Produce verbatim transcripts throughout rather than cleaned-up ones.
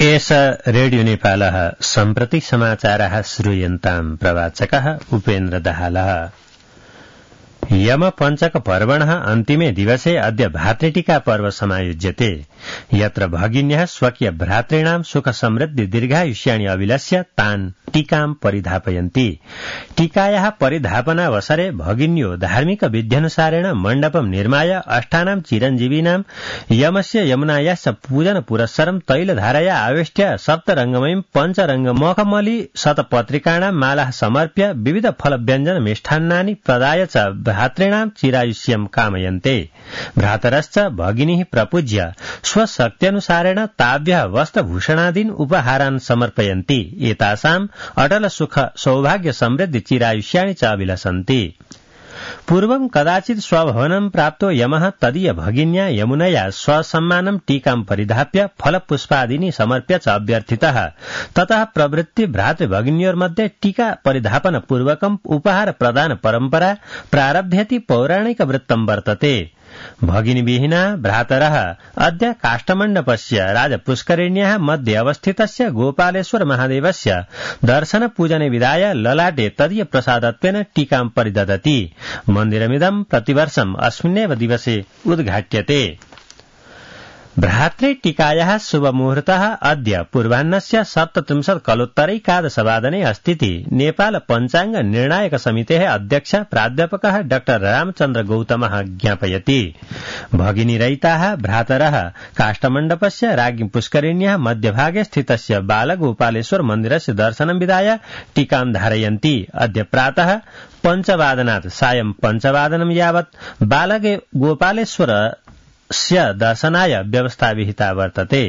एष रेडियो नेपालः सम्प्रति समाचारः श्रूयन्ताम् प्रवाचकः उपेन्द्र दाहालः। यम पञ्चक पर्वणः अन्तिमे दिवसे अद्य भातृटीका पर्व समायोज्यते। यत्र भगिन्यः स्वकीय भ्रातॄणां सुख समृद्धि दीर्घायुष्याणि अभिलक्ष्य तान् टीकां परिधापयन्ति। टीकायाः परिधापनावसरे भगिन्यो धार्मिक विध्यनुसारेण मण्डपं निर्माय अष्टानां चिरञ्जीविनां यमस्य यमुनायाश्च पूजन पुरस्सरं तैलधारया आवेष्ट्य सप्तरङ्गमयीं पञ्चरङ्गमखमली शतपत्रिकाणां मालाः समर्प्य विविध फलव्यञ्जन मिष्टान्नानि प्रदाय च भ्रातॄणां चिरायुष्यं कामयन्ते। भ्रातरश्च भगिनीः प्रपूज्य स्वशक्त्यनुसारेण ताभ्यः वस्त्रभूषणादीन् उपहारान् समर्पयन्ति। एतासाम् अटल सुख सौभाग्य समृद्धि चिरायुष्याणि च अभिलषन्ति। पूर्वं कदाचित् स्वभवनं प्राप्तो यमः तदीय भगिन्या यमुनया स्वसम्मानं टीकां परिधाप्य फलपुष्पादीनि समर्प्य च अभ्यर्थितः। ततः प्रवृत्ति भ्रातृभगिन्योर्मध्ये टीका परिधापन पूर्वकम् उपहार प्रदान परम्परा प्रारभ्यति पौराणिक वृत्तं वर्तते। भगिनीविहीना भ्रातरः अद्य काष्ठमण्डपस्य राजपुष्करिण्याः मध्ये अवस्थितस्य गोपालेश्वर महादेवस्य दर्शन पूजने विधाय ललाटे तदीय प्रसादत्वेन टीकां परिदधति। मन्दिरमिदं प्रतिवर्षम् अस्मिन्नेव दिवसे उद्घाट्यते। भ्रातृटीकायाः शुभमुहूर्तः अद्य पूर्वाह्नस्य सप्तत्रिंशत् कलोत्तरैकादशवादने अस्तीति नेपाल पञ्चाङ्ग निर्णायक समितेः अध्यक्ष प्राध्यापकः डाक्टर रामचन्द्र गौतमः ज्ञापयति। भगिनीरहिताः भ्रातरः काष्ठमण्डपस्य राज्ञी पुष्करिण्याः मध्यभागे स्थितस्य बालगोपालेश्वर मन्दिरस्य दर्शनं विधाय टीकां धारयन्ति। अद्य प्रातः पञ्चवादनात् सायं पञ्चवादनं यावत् बालगोपालेश्वर स्य दर्शनाय व्यवस्था विहिता वर्तते।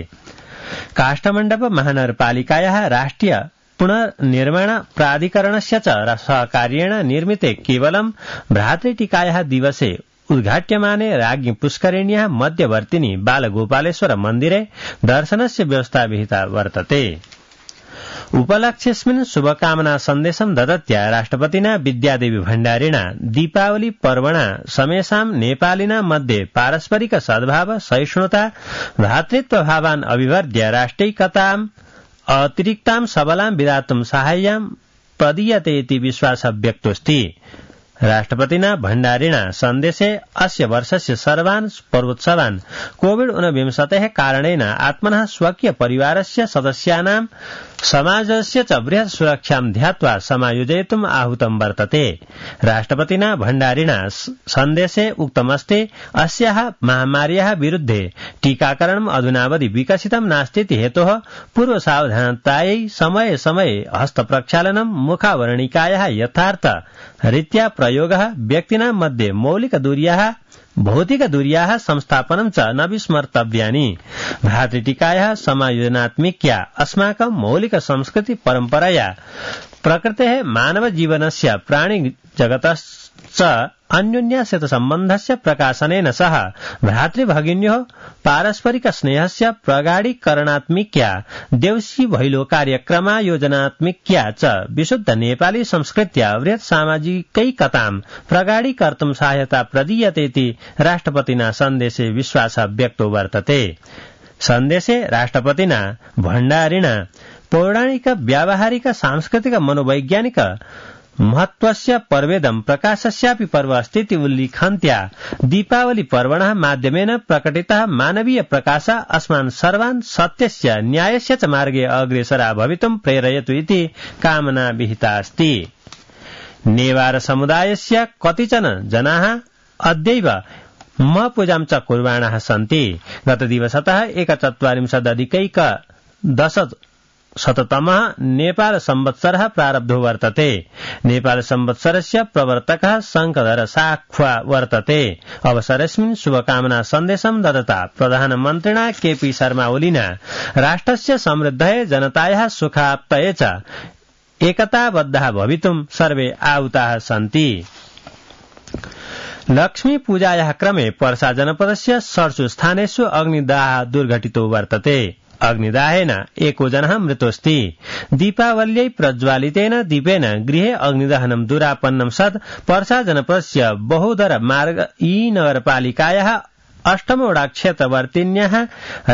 काष्ठमण्डप महानगरपालिकायाः राष्ट्रिय पुनर्निर्माण प्राधिकरणस्य च सहकार्येण निर्मिते केवलं भ्रातृटीकायाः दिवसे उद्घाट्यमाने राज्ञी पुष्करिण्याः मध्यवर्तिनि बालगोपालेश्वर मन्दिरे दर्शनस्य व्यवस्था विहिता वर्तते। उपलक्ष्यस्मिन् शुभकामना सन्देशं ददत्या राष्ट्रपतिना विद्यादेवी भण्डारिणा दीपावली पर्वणा समेषां नेपालिनां मध्ये पारस्परिक सद्भाव सहिष्णुता भ्रातृत्वभावान् अभिवर्ध्य राष्ट्रिकताम् अतिरिक्तां सबलां विधातुं साहाय्यं प्रदीयते इति विश्वासः व्यक्तोऽस्ति। राष्ट्रपतिना भण्डारिणा सन्देशे अस्य वर्षस्य सर्वान् पर्वोत्सवान् कोविड ऊनविंशतेः कारणेन आत्मनः स्वकीय परिवारस्य सदस्यानां समाजस्य च बृहत् सुरक्षां ध्यात्वा समायोजयितुम् आहूतं वर्तते। राष्ट्रपतिना भण्डारिणा सन्देशे उक्तमस्ति अस्याः महामार्याः विरुद्धे टीकाकरणम् अधुनावधि विकसितं नास्तीति हेतोः पूर्वसावधानतायै समये समये हस्तप्रक्षालनं मुखावरणिकायाः यथार्थ रीत्या प्रयोगः व्यक्तीनां मध्ये मौलिकदूर्याः भौतिकदूर्याः संस्थापनं च न विस्मर्तव्यानि। भ्रातृटीकायाः समायोजनात्मिक्या अस्माकं मौलिक संस्कृति परम्परया प्रकृतेः मानवजीवनस्य प्राणिजगतश्च अन्योन्याश्च सम्बन्धस्य प्रकाशनेन सह भ्रातृभगिन्योः पारस्परिक स्नेहस्य प्रगाढीकरणात्मिक्या देवसी भैलो कार्यक्रमायोजनात्मिक्या च विशुद्ध नेपाली संस्कृत्या बृहत् सामाजिकैकतां प्रगाढीकर्तुं सहायता प्रदीयतेति राष्ट्रपतिना सन्देशे विश्वासः व्यक्तो वर्तते। सन्देशे राष्ट्रपतिना भण्डारिणा पौराणिक व्यावहारिक सांस्कृतिक मनोवैज्ञानिक महत्वस्य पर्वेदं प्रकाशस्यापि पर्व अस्तीति उल्लिखन्त्या दीपावली पर्वणः माध्यमेन प्रकटितः मानवीय प्रकाशः अस्मान् सर्वान् सत्यस्य न्यायस्य च मार्गे अग्रेसरा भवितुं प्रेरयतु इति कामना विहिता अस्ति। नेवार समुदायस्य कतिचन जनाः अद्यैव महपूजां च कुर्वाणाः सन्ति। गतदिवसतः एकचत्वारिंशदधिकैक दश शततमः नेपाल संवत्सरः प्रारब्धो वर्तते। नेपाल संवत्सरस्य प्रवर्तकः शङ्खधर साख्वा वर्तते। अवसरेऽस्मिन् शुभकामना सन्देशं ददता प्रधानमन्त्रिणा केपी शर्मा ओलीना राष्ट्रस्य समृद्धये जनतायाः सुखाप्तये च एकताबद्धाः भवितुं सर्वे आहुताः सन्ति। लक्ष्मी पूजायाः क्रमे पर्सा जनपदस्य षट्सु स्थानेषु अग्निदाहः दुर्घटितो वर्तते। अग्निदाहेन एको जनः मृतोऽस्ति। दीपावल्यै प्रज्वालितेन दीपेन गृहे अग्निदहनं दुरापन्नं सत् पर्सा जनपदस्य बहुदर मार्ग ई नगरपालिकायाः अष्टमवटा क्षेत्रवर्तिन्याः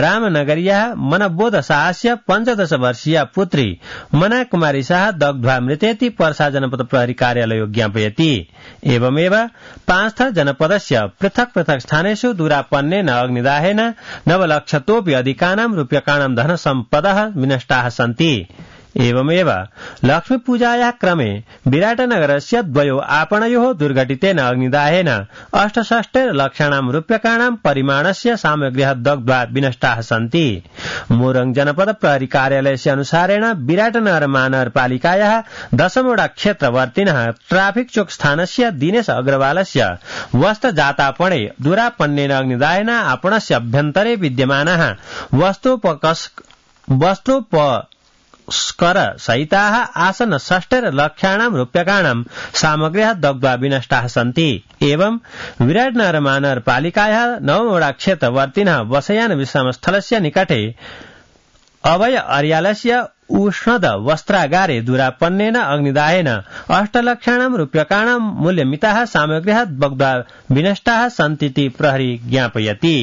रामनगर्याः मनबोध शाहस्य पञ्चदश वर्षीया पुत्री मना कुमारी शाह दग्ध्वा मृतेति पर्सा जनपद प्रहरी कार्यालय ज्ञापयति। एवमेव पाँचथर जनपदस्य पृथक पृथक स्थानेषु दुरापन्नेन अग्निदाहेन नवलक्षतोऽपि अधिकानां रूप्यकाणां धनसम्पदः विनष्टाः सन्ति। एवमेव लक्ष्मीपूजायाः क्रमे विराटनगरस्य द्वयो आपणयोः दुर्घटितेन अग्निदाहेन अष्टषष्टिर्लक्षाणां रूप्यकाणां परिमाणस्य सामग्र्यः दग्ध्वा विनष्टाः सन्ति। मोरङ जनपद प्रहरी कार्यालयस्य अनुसारेण विराटनगर महानगरपालिकायाः दशमवटा क्षेत्रवर्तिनः ट्राफिक चौक स्थानस्य दिनेश अग्रवालस्य वस्त्रजातापणे दुरापन्नेन अग्निदाहेन आपणस्य अभ्यन्तरे विद्यमानाः वस्तुपकस् वस्तुप स्कर सहिताः आसन षष्टिर्लक्षाणां रूप्यकाणां सामग्र्यः दग्ध्वा विनष्टाः सन्ति। एवं विराटनगर महानगरपालिकायाः नवमवटा क्षेत्रवर्तिनः वसयान विश्रामस्थलस्य निकटे अभय अर्यालस्य उष्णद वस्त्रागारे दुरापन्नेन अग्निदाहेन अष्टलक्षाणां रूप्यकाणां मूल्यमिताः सामग्र्यः दग्ध्वा विनष्टाः सन्तीति प्रहरी ज्ञापयति।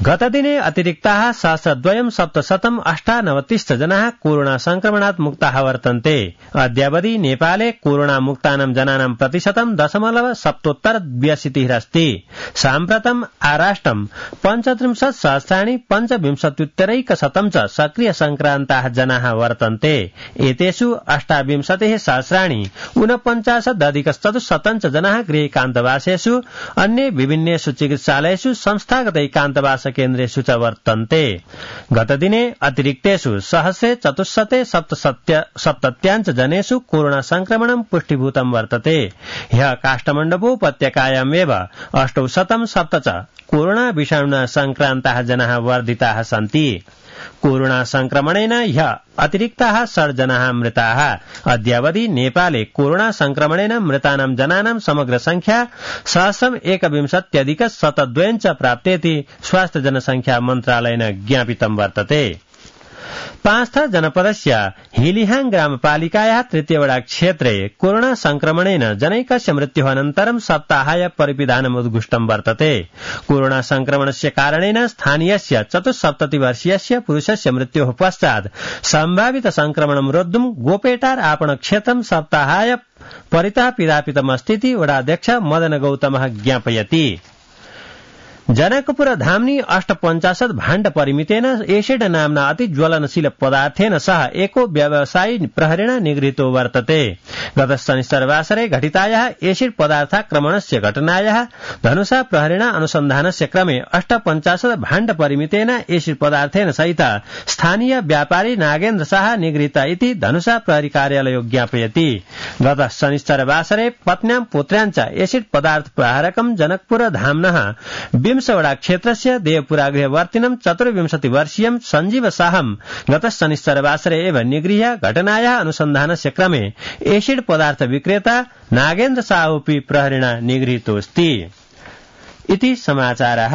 गतदिने अतिरिक्ताः सहस्रद्वयं सप्तशतम् अष्टानवतिश्च जनाः कोरोना संक्रमणात् मुक्ताः वर्तन्ते। अद्यावधि नेपाले कोरोना मुक्तानां जनानां प्रतिशतं दशमलव सप्तोत्तर द्व्यशीतिरस्ति। साम्प्रतम् आराष्ट्रं पञ्चत्रिंशत् सहस्राणि पञ्चविंशत्युत्तरैकशतं च सक्रिय संक्रान्ताः जनाः वर्तन्ते। एतेषु अष्टाविंशतिः सहस्राणि ऊनपञ्चाशदधिकचतुश्शतं च जनाः गृहैकान्तवासेषु अन्ये विभिन्नेषु चिकित्सालयेषु संस्थागतैकान्तवास केन्द्रेषु च वर्तन्ते। गतदिने अतिरिक्तेषु सहस्रे चतुश्शते सप्तसप्तत्याञ्च जनेषु कोरोना संक्रमणं पुष्टिभूतं वर्तते। ह्यः काष्ठमण्डपोपत्यकायामेव अष्टौ शतं सप्त च कोरोना विषाणुना संक्रान्ताः जनाः वर्धिताः सन्ति। कोरोना संक्रमणेन ह्यः अतिरिक्ताः षड् जनाः मृताः। अद्यावधि नेपाले कोरोना संक्रमणेन मृतानां जनानां समग्र संख्या सहस्रम् एकविंशत्यधिक शतद्वयं च प्राप्तेति स्वास्थ्य जनसंख्या मन्त्रालयेन ज्ञापितं वर्तते। पाँचथर जनपदस्य हिलिहाङ ग्रामपालिकायाः तृतीयवटा क्षेत्रे कोरोना संक्रमणेन जनैकस्य मृत्युः अनन्तरं सप्ताहाय परिपिधानम् उद्घुष्टं वर्तते। कोरोना संक्रमणस्य कारणेन स्थानीयस्य चतुस्सप्ततिवर्षीयस्य पुरुषस्य मृत्योः पश्चात् सम्भावित संक्रमणं रोद्धुं गोपेटार आपणक्षेत्रं सप्ताहाय परितः पिधापितमस्तीति वडाध्यक्ष मदन गौतमः ज्ञापयति। जनकपुर धाम्नि अष्टपञ्चाशत् भाण्ड परिमितेन एसिड नाम्ना अति ज्वलनशील पदार्थेन सह एको व्यवसायी प्रहरेण निगृहीतो वर्तते। गत शनिवासरे घटितायाः एसिड पदार्थाक्रमणस्य घटनायाः धनुषा प्रहरेण अनुसन्धानस्य क्रमे अष्टपञ्चाशत् भाण्ड परिमितेन एसिड पदार्थेन सहित स्थानीय व्यापारी नागेन्द्र शाह निगृहीत इति धनुषा प्रहरी कार्यालय ज्ञापयति। गत शनिवासरे पत्न्यां पुत्र्याञ्च एसिड पदार्थ प्रहारकं जनकपुर धाम्नः विंशवटा क्षेत्रस्य देवपुरागृहवर्तिनं चतुर्विंशति वर्षीयं सञ्जीव शाहं गत शनिवासरे एव निगृह्य घटनायाः अनुसन्धानस्य क्रमे एसिड पदार्थ विक्रेता नागेन्द्र शाहोऽपि प्रहरेण निगृहीतोऽस्ति। इति समाचारः।